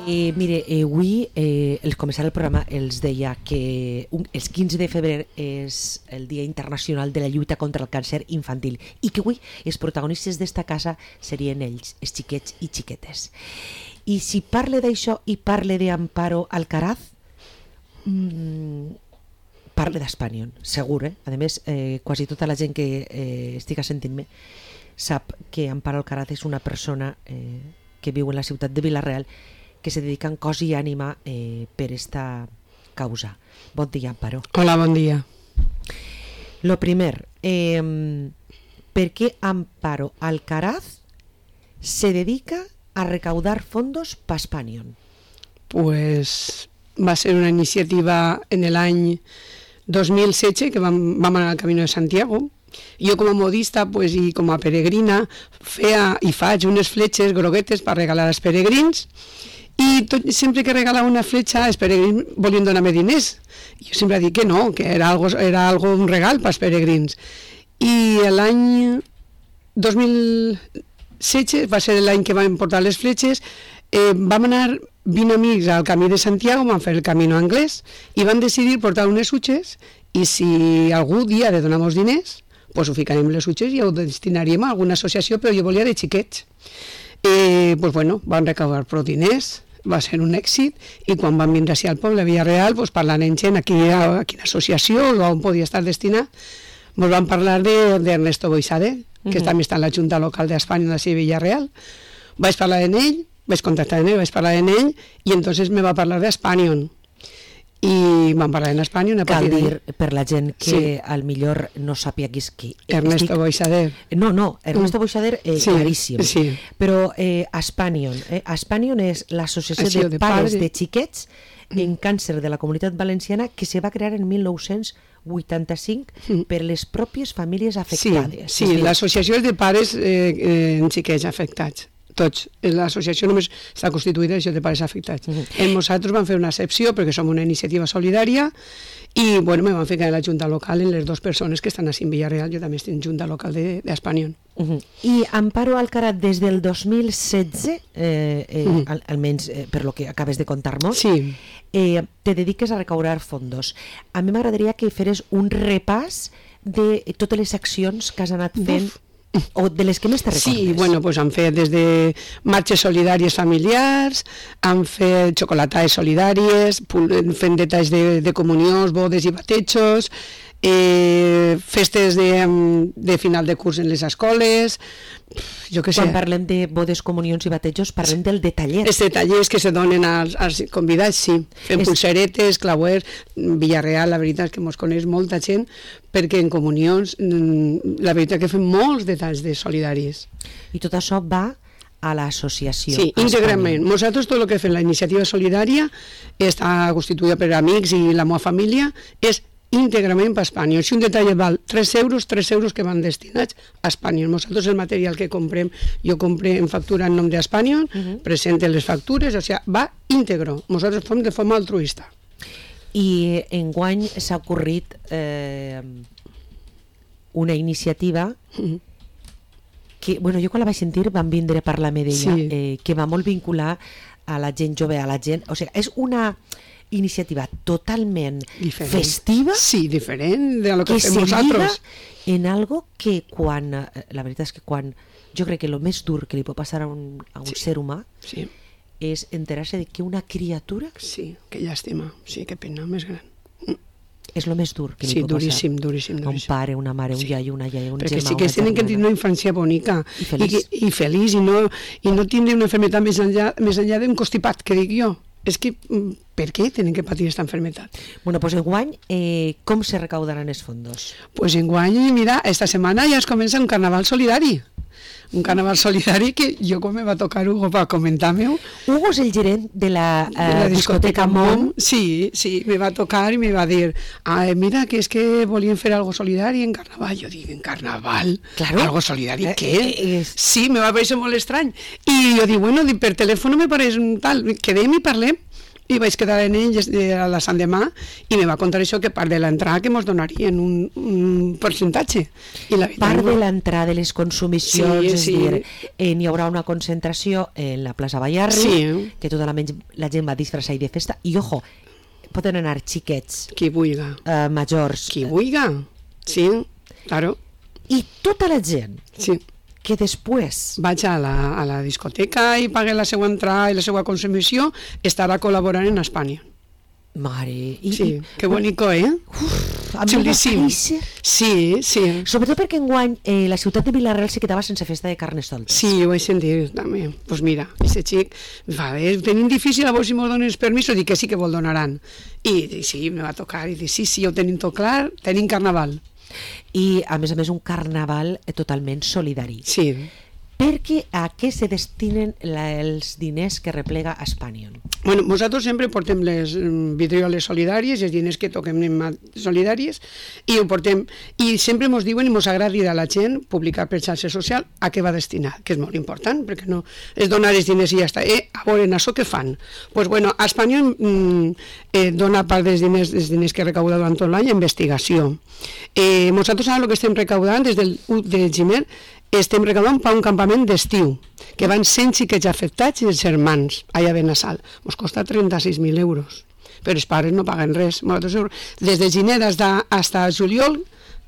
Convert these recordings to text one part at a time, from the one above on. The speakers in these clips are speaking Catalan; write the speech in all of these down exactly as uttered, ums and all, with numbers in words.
Eh, mire, eh, avui, eh, al començar el programa, els deia que un, el quinze de febrer és el Dia Internacional de la Lluita contra el Càncer Infantil i que avui els protagonistes d'esta casa serien ells, els xiquets i xiquetes. I si parle d'això i parle d'Amparo Alcaraz, mmm, parle d'Espanyol, segur, eh? A més, eh, quasi tota la gent que eh, estigui sentint-me sap que Amparo Alcaraz és una persona eh, que viu en la ciutat de Vila-real que se dedica en cos i ànima eh, per esta causa. Bon dia, Amparo. Hola, bon dia. Lo primer, eh, ¿per qué Amparo Alcaraz se dedica a recaudar fondos para Espanyol? Pues va ser una iniciativa en el any dos mil setze que vam, vam anar al Camino de Santiago. Jo com a modista pues, i com a peregrina feia i faig unes fletxes groguetes per regalar als peregrins i tot, sempre que regalava una fletxa els peregrins volien donar-me diners. Jo sempre dic que no, que era algo, era algo un regal pels peregrins. I l'any dos mil setze va ser l'any que vam portar les fletxes. Eh, vam anar vint amics al Camí de Santiago, vam fer el Camino anglès i van decidir portar unes utxes i si algú dia de donar-nos diners pues ho ficarem les utxes i ho destinaríem a alguna associació, però jo volia de xiquets. Eh, pues bueno, van recaudar prou diners, va ser un èxit, i quan van vindre així al poble de Vila-real, pues, parlant en gent a quina, a quina associació o on podia estar destinat, ens van parlar d'Ernesto Boixade, que uh-huh. també està en la Junta Local d'Espanya de Vila-real. Vaig parlar amb ell, vaig contactar amb ell, vaig parlar amb ell, i entonces me va parlar d'Espanyol. I vam parlar en Espanyol. Cal dir, per la gent que sí. al millor no sàpia qui és qui. Ernesto estic... Boixader. No, no, Ernesto mm. Boixader, eh, sí, claríssim. Sí. Però eh, Espanyol, eh, Espanyol és l'associació de, de pares de, de xiquets mm. en càncer de la Comunitat Valenciana que se va crear en mil nou-cents vuitanta-cinc mm. per les pròpies famílies afectades. Sí, sí, l'associació és de pares eh, eh, en xiquets afectats. Tots. L'associació només està constituïda de pares afectats. Uh-huh. En nosaltres vam fer una excepció perquè som una iniciativa solidària i bueno, me van ficar en la Junta Local en les dues persones que estan a en Vila-real. Jo també estic en Junta Local d'Espanyol. De, uh-huh. I Amparo Alcaraz, des del dos mil setze, eh, eh, uh-huh. al, almenys eh, per lo que acabes de contar-nos, sí. eh, te dediques a recaudar fondos. A mi m'agradaria que feres un repàs de totes les accions que has anat fent Uf. o de les que més te recordes. Sí, bueno, pues han fet des de marxes solidàries familiars, han fet xocolatades solidàries, fent detalls de, de comunions, bodes i batejos, eh, festes de, de final de curs en les escoles, jo què sé. Quan parlem de bodes, comunions i batejos, parlem del detallet. Els detallers que se donen als, als convidats, sí. Fem es... pulseretes, clauers, Vila-real, la veritat és que mos coneix molta gent, perquè en comunions, la veritat que fem molts detalls de solidaris. I tot això va a l'associació. Sí, íntegrament. Nosaltres tot el que fem la iniciativa solidària està constituïda per amics i la meva família, és íntegrament per Espanya. Si un detall val tres euros, tres euros que van destinats a Espanya. Nosaltres el material que comprem, jo compré en factura en nom d'Espanya, uh-huh. presente les factures, o sigui, va íntegro. Nosaltres fem de forma altruista. I enguany s'ha ocorrit eh, una iniciativa uh-huh. que, bueno, jo quan la vaig sentir van vindre a parlar-me d'ella, sí. eh, que va molt vincular a la gent jove, a la gent... O sigui, és una iniciativa totalment diferent. Festiva, sí, diferent de lo que, que fem nosaltres, en algo que quan, la veritat és que quan jo crec que el més dur que li pot passar a un, a un sí. ser humà sí. és enterar-se de que una criatura sí, que llàstima, sí, que pena més gran, és el més dur que li sí, pot duríssim, passar duríssim, duríssim. un pare, una mare, un sí. iaio, una iaia, un perquè germà, sí que tenen que tenir una infància bonica i feliç i, que, i, feliç, i, no, i no tindre una enfermedad més enllà, més enllà d'un constipat, que dic jo. És que, per què tenen que patir aquesta enfermedad? Bueno, pues enguany, eh, com se recaudaran els fondos? Pues enguany, mira, esta setmana ja es comença un carnaval solidari. Un carnaval solidari que jo com me va tocar Hugo per comentar-me-ho. Hugo és el gerent de la, eh, de la discoteca, discoteca Mom. Mom. Sí, sí, me va tocar i me va dir, ah, mira, que és que volien fer algo solidari en carnaval. Jo dic, en carnaval? Claro. Algo solidari, eh, què? Eh, és... Sí, me va parèixer molt estrany. I jo dic, bueno, per telèfon me pareix un tal, quedem i parlem. i vaig quedar en ells a la Sant Demà i me va contar això, que part de l'entrada que ens donarien un, un percentatge. I la part de l'entrada de les consumicions, sí, és sí. dir, eh, n'hi haurà una concentració en la plaça Ballarri, sí. que tota la, la gent va disfressar i de festa, i ojo, poden anar xiquets, qui vulga, eh, majors, qui vulga, sí, claro. I tota la gent sí. que després vaig a la, a la discoteca i pague la seva entrada i la seva consumició, estarà col·laborant en Espanya. Mare... I, sí, que bonico, eh? Uf, xulíssim. Sí, sí. Sobretot perquè enguany eh, la ciutat de Vila-real se quedava sense festa de carnestoltes. Sí, ho vaig sentir també. Doncs pues mira, aquest xic va bé, tenim difícil a veure si m'ho donen els permisos, dic que sí que vol donaran. I, i sí, me va tocar, i dic sí, sí, ho tenim tot clar, tenim carnaval. I a més a més un carnaval totalment solidari. Sí. Perquè a què se destinen la, els diners que replega Espanyol? Bueno, nosaltres sempre portem les vidrioles solidàries, els diners que toquem solidàries, i ho portem, i sempre ens diuen i ens agrada dir a la gent, publicar per xarxa social, a què va destinar, que és molt important, perquè no és donar els diners i ja està. Eh, a veure, en això què fan? Doncs, pues, bueno, Espanyol mm, eh, dona part dels diners, dels diners que recauda durant tot l'any a investigació. Eh, nosaltres ara el que estem recaudant des del u de gener estem recaudant per un campament d'estiu, que van cent xiquets afectats i els germans, allà a Benassal. Ens costa trenta-sis mil euros, però els pares no paguen res. Des de gener fins a juliol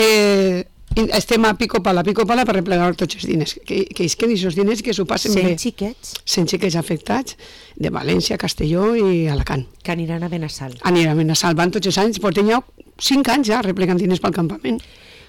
eh, estem a pico pala, pico pala per replegar tots els diners, que, que isquen aquests diners que s'ho passen bé. cent xiquets? cent xiquets afectats de València, Castelló i Alacant. Que aniran a Benassal. Aniran a Benassal, van tots els anys, porten ja cinc anys ja replegant diners pel campament.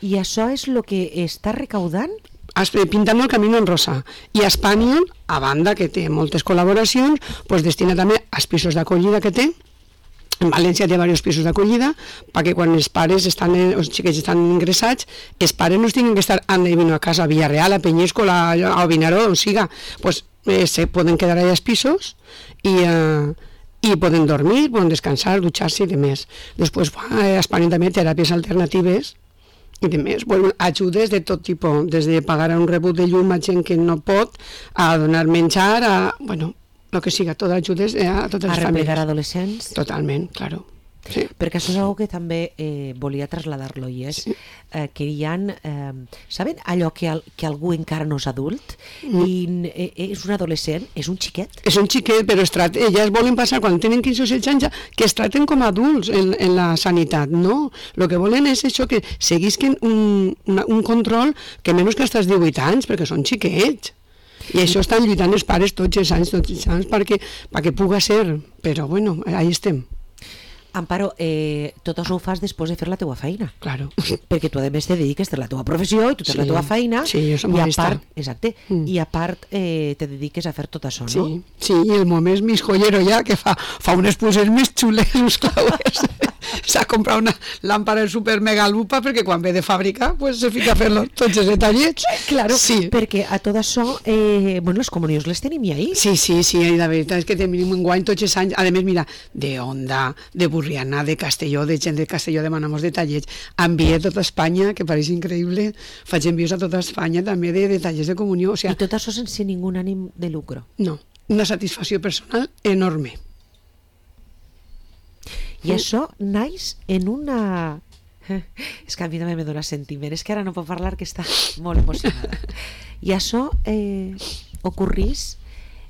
I això és el que està recaudant? Pintant el camí en rosa. I Espanya, a banda que té moltes col·laboracions, pues destina també als pisos d'acollida que té. En València té diversos pisos d'acollida, perquè quan els pares estan, els xiquets estan ingressats, els pares no tinguin que estar anant a casa a Villarreal, a Peñíscola, a Vinaró, on siga, pues eh, se poden quedar allà als pisos i... Eh, i poden dormir, poden descansar, dutxar-se i demés. Després, a Espanya també teràpies alternatives i demés, bueno, ajudes de tot tipus, des de pagar un rebut de llum a gent que no pot, a donar menjar, a, bueno, el que siga, tot ajudes a totes les famílies. A replegar adolescents? Totalment, claro. Sí. Perquè això és una que també eh, volia traslladar-lo, i és sí. eh, que hi ha, eh, saben allò que, al, que algú encara no és adult mm. i eh, és un adolescent, és un xiquet? És un xiquet, però es tracta, elles volen passar, quan tenen quinze o setze anys, que es tracten com a adults en, en la sanitat, no? El que volen és això, que seguisquen un, una, un control que menys que als divuit anys, perquè són xiquets. I això estan lluitant els pares tots els anys, tots els anys, perquè, perquè puga ser, però bueno, ahí estem. Amparo, eh, tot això ho fas després de fer la teua feina. Claro. Perquè tu a més te dediques a la teua professió i tu tens sí. la teua feina. Sí, jo som i a modesta. part, exacte, mm. i a part eh, te dediques a fer tot això, no? Sí, sí, i el moment és mig joiero ja, que fa, fa unes pulsers més xules, uns clauers. S'ha comprat una làmpara super mega lupa perquè quan ve de fàbrica pues, se fica a fer tots els detallets. Claro, sí. Perquè a tot això, eh, bueno, les comunions les tenim ja ahí. Sí, sí, sí, la veritat és que tenim un guany tots els anys, a més, mira, de Onda, de Burriana, de Castelló, de gent de Castelló demanamos detallets, envia a tota Espanya, que pareix increïble, faig envios a tota Espanya també de detallets de comunió. O sea, I tot això sense ningú ànim de lucro. No, una satisfacció personal enorme. I això naix en una... És que a mi també me dona sentiment, és que ara no puc parlar, que està molt emocionada. I això eh, ocorrís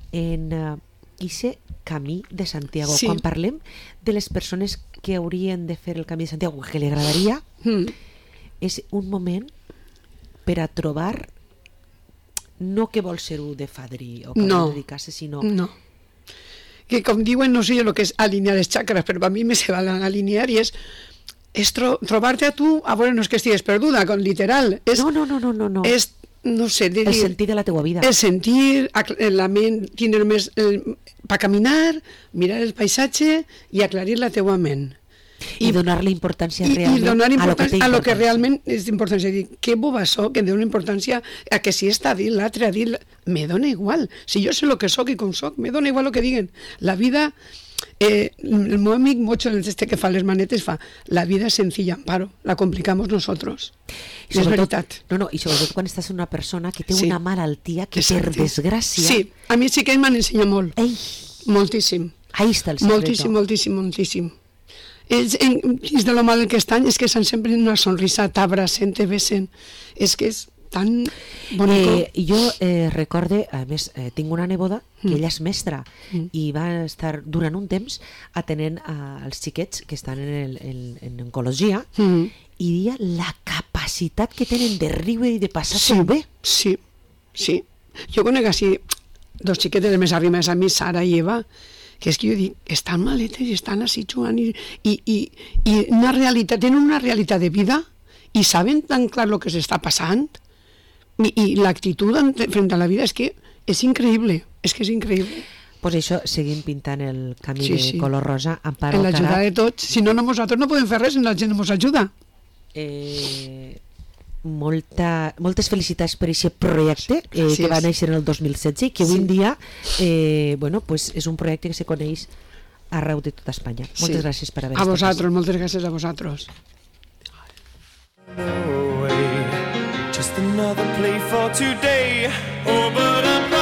en aquest uh, camí de Santiago. Sí. Quan parlem de les persones que haurien de fer el camí de Santiago, que li agradaria, mm. és un moment per a trobar no que vol ser-ho de fadrí o que no. vol dedicar-se, sinó... No. Que com diuen, no sé el que és alinear les xacres, però a mi me se van a alinear i és, és tro trobar-te a tu, a veure, no és que estigues perduda, con literal. És, no, no, no, no, no. És, no sé, de el dir, sentir de la teua vida. El sentir, la ment, tindre més per caminar, mirar el paisatge i aclarir la teua ment. I, I donar-li importància i, realment i donar importància a lo que, a lo que realment és importància. Dir, que boba soc, que em dona importància a que si està a dir l'altre, a dir... Me dona igual. Si jo sé el que soc i com soc, me dona igual el que diguen. La vida... Eh, el meu amic Mocho, este que fa les manetes, fa la vida és senzilla, Amparo, la complicamos nosotros. I és veritat. No, no, i sobretot quan estàs una persona que té sí. una malaltia que Exacte. per desgràcia... Sí, a mi sí que m'han ensenyat molt. Ei. Moltíssim. Ahí està el secreto. Moltíssim, moltíssim, moltíssim. És, en, és de lo mal que estan, és que estan sempre en una sonrisa, t'abracen, te besen. És que és tan bonico. Eh, jo eh, recorde, a més, eh, tinc una neboda que Mm. ella és mestra Mm. i va estar durant un temps atenent als xiquets que estan en, el, en, en oncologia Mm. i dia la capacitat que tenen de riure i de passar-s'ho Sí, bé. sí, sí. Jo conec així dos xiquetes més arrimades a mi, Sara i Eva, que és que jo dic, estan maletes i estan així jugant i, i, i, i una realitat, tenen una realitat de vida i saben tan clar el que s'està passant i, i l'actitud frente a la vida és que és increïble, és que és increïble. Pues això, seguim pintant el camí Sí, de sí. color rosa, Amparo En l'ajuda Alcaraz. de tots, si no, no nosaltres no podem fer res, si la gent no ens ajuda. Eh, molta, moltes felicitats per aquest projecte eh, Gràcies. que va néixer en el dos mil setze i que avui Sí. en dia eh, bueno, pues és un projecte que se coneix arreu de tota Espanya. Moltes Sí. gràcies per haver A estat vosaltres, moltes gràcies a vosaltres. No way, just another play for today. Oh, but I'm